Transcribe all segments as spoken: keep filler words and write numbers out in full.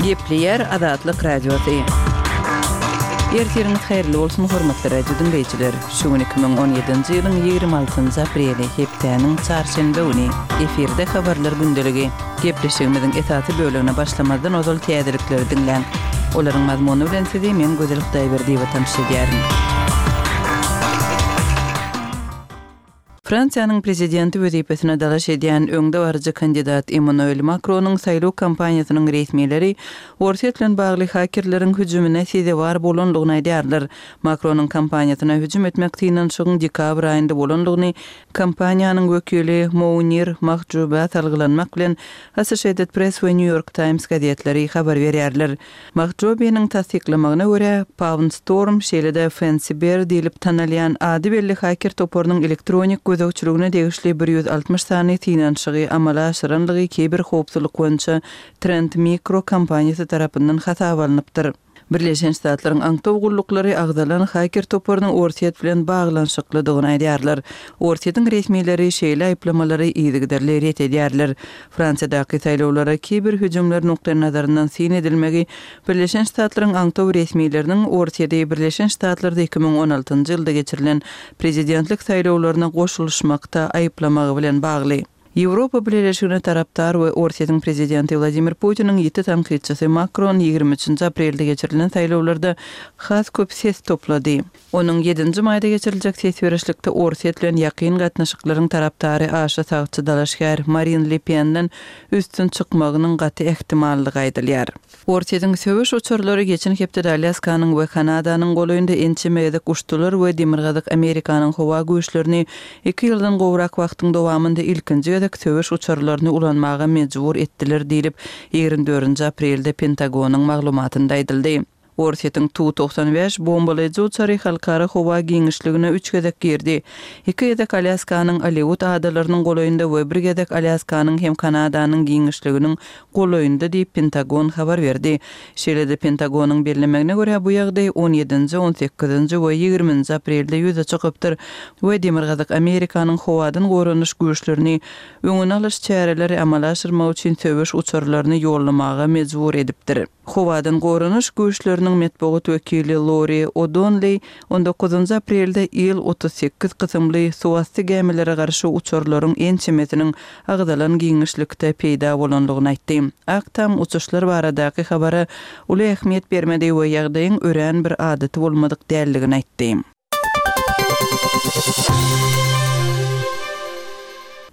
Gepleýär Azatlyk Radiosy. Ertiriňiz haýyrly bolsun, hormatly radio diňleýjiler. Şu gün iki müň on ýedinji ýylyň ýigrimi altynjy apreli, hepdäniň çarşenbe güni. Efirde habarlar gündeligi. Gepleşigimiziň esasy bölegine başlamazdan ozal täzelikleri diňläň. Olaryň mazmuny bilen sizi men Gözel Hudaýberdiýewa tanyş edýärin. Fransiýanyň prezidenti wezipesine dalaş edýän öňdebaryjy kandidat Emmanuel Makronyň saýlaw kampaniýasynyň resmileri Orsýet bilen bagly hakerleriň hüjümine sezewar bolandygyny aýdýarlar. Makronyň kampaniýasyna hüjüm etmek synanyşygyň dekabr aýynda bolandygyny kampaniýanyň wekili Mounir Mahjouba salgylanmak bilen Associated Press we New York Times gazetleri habar berýärler. Mahjoubiniň tassyklamagyna görä, Pawn Storm, şeýle-de Fancy Bear diýlip tanalýan ady belli haker toparynyň elektronik gözegçiligine degişli bir ýüz altmyş sany synanyşygy amala aşyranlygy kiberhowpsuzlyk boýunça Trend Micro kompaniýasy tarapyndan hasaba alnypdyr. Birleşen Ştatlaryň aňtaw gulluklary agzalan haker toparynyň Orsýet bilen baglanyşyklydygyny aýdýarlar. Orsýetiň resmileri şeýle aýyplamalary yzygiderli ret edýärler. Fransiýadaky saýlawlara kiber hüjümler nukdaýnazaryndan syn edilmegi Birleşen Ştatlaryň aňtaw resmileriniň Orsýeti Birleşen Ştatlarda iki müň on altynjy ýylda geçirilen prezidentlik saýlawlaryna goşulyşmakda aýyplamagy bilen bagly. Ýewropa Bileleşigine tarapdar we Orsýetiň prezidenti Wladimir Putiniň ýiti tankytçysy Makron ýigrimi üçünji aprelde geçirilen saýlawlarda has köp ses toplady. Onuň ýedinji maýda geçiriljek ses berişlikde Orsýet bilen ýakyn gatnaşyklaryň tarapdary aşa sagçy dalaşgär Marin Le Penden üstün çykmagynyň gaty ähtimallygy aýdylýar. Orsýetiň söweş uçarlary geçen hepdede Alýaskanyň we Kanadanyň golaýynda ençeme gezek uçdular we Demirgazyk Amerikanyň howa güýçlerini iki ýyldan gowrak wagtyň dowamynda ilkinji gezek söweş uçarlaryny ulanmaga mejbur etdiler diýlip, ýigrimi dördünji aprelde Pentagonyň maglumatynda aýdyldy. Orsýetiň Tu togsan bäş bombalaýjy uçary halkara howa giňişligine üç gezek girdi. Iki gezek Alýaskanyň Aleut adalarynyň golaýynda we bir gezek Alýaskanyň hem Kanadanyň giňişliginiň golaýynda diýip Pentagon habar berdi. Şeýle-de Pentagonyň bellemegine görä bu ýagdaý on ýedinji, on sekizinji we ýigriminji aprelde ýüze çykypdyr we Demirgazyk Amerikanyň howadan goranyş güýçlerini öňüni alyş çäreleri amala aşyrmak üçin söweş uçarlaryny ýollamaga mejbur edipdir. Howadan goranyş güýçleriniň metbugat wekili Lori O'Donnell on dokuzynjy aprelde Il otuz sekiz kysymly suwasty gämilere garşy uçarlaryň ençemesiniň agzalan giňişlikde peýda bolandygyny aýtdy. Ak Tam uçuşlar baradaky habara uly ähmiýet bermedi we ýagdaýyň örän bir adaty bolmadyk däldigini aýtdy.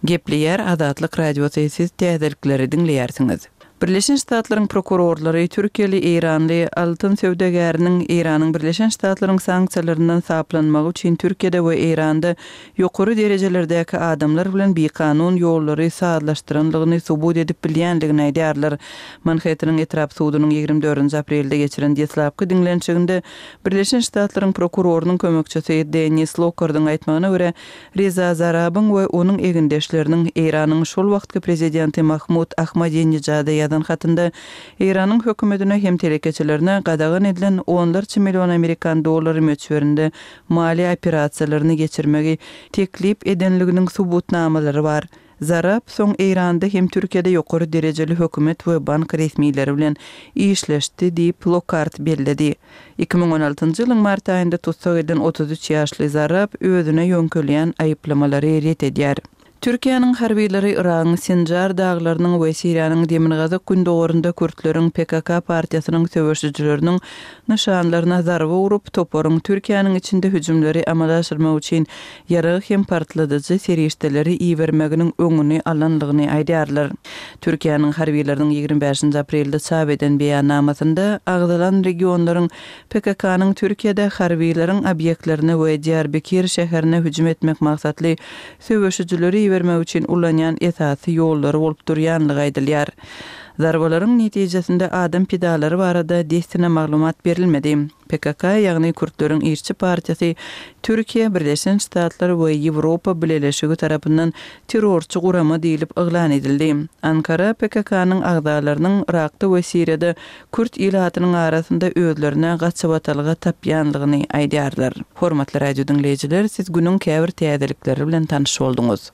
Gepleýär Azatlyk Radiosy, siz täzelikleri diňleýärsiňiz. Birleşen Ştatlaryň prokurorlary Türkiýeli Eýranly altyn söwdagäriniň Eýranyň Birleşen Ştatlaryň sanksiýalaryndan saplanmagy üçin Türkiýede we Eýranda ýokary derejelerdäki adamlar bilen bikanun ýollary sazlaşdyranlygyny subut edip bilýändigini aýdýarlar. Manhattanyň etrap sudunyň ýigrimi dördünji aprelde geçiren deslapky diňlenişiginde Birleşen Ştatlaryň prokurorynyň kömekçisi Dennis Lockardyň aýtmagyna görä, Reza Zarabyň we onuň egindeşleriniň Eýranyň şol wagtky prezidenti Mahmud Ahmadinejada ýazan hatynda Eýranyň hökümetine hem telekeçilerine gadagan edilen onlarça million amerikan dollary möçberinde maliýe operasiýalaryny geçirmegi teklip edenliginiň subutnamalary bar. Zarab soň Eýranda hem Türkiýede ýokary derejeli hökümet we bank resmileri bilen işleşdi diýip Lockhart belledi. Iki müň on altynjy ýylyň mart aýynda tussag edilen otuz üç ýaşly Zarab özüne ýöňkelýän aýyplamalary ret edýär. Türkiýäniň harbylary Yragyň Sinjar daglarynyň we Siriýanyň demirgazyk gündogarynda kürtleriň P K K partiýasynyň söweşijileriniň nyşanlaryna zarba urup, toparyň Türkiýäniň içinde hüjümleri amala aşyrmak üçin ýarag hem partladyjy serişdeleri ibermeginiň öňüni alanlygyny aýdýarlar. Türkiýäniň harbylarynyň ýigrimi bäşinji aprelde çap eden beýannamasynda agzalan regionlaryň P K K-nyň Türkiýede harbylaryň obýektlerine we Diýarbekir şäherine hüjüm etmek maksatly söweşijileri ibermek üçin ulanýan esasy ýollary bolup durýanlygy aýdylýar. Zarbalaryň netijesinde adam pidalary barada dessine maglumat berilmedi. P K K, ýagny Kürtleriň işçi partiýasy Türkiýe, Birleşen Ştatlar we Ýewropa Bileleşigi tarapyndan terrorçy gurama diýlip yglan edildi. Ankara P K K-nyň agzalarynyň Irakda we Siriýada kürt ilatynyň arasynda özlerine gaçybatalga tapýanlygyny aýdýarlar. Hormatly radio diňleýjiler, siz günüň käbir täzelikleri bilen tanyş bolduňyz.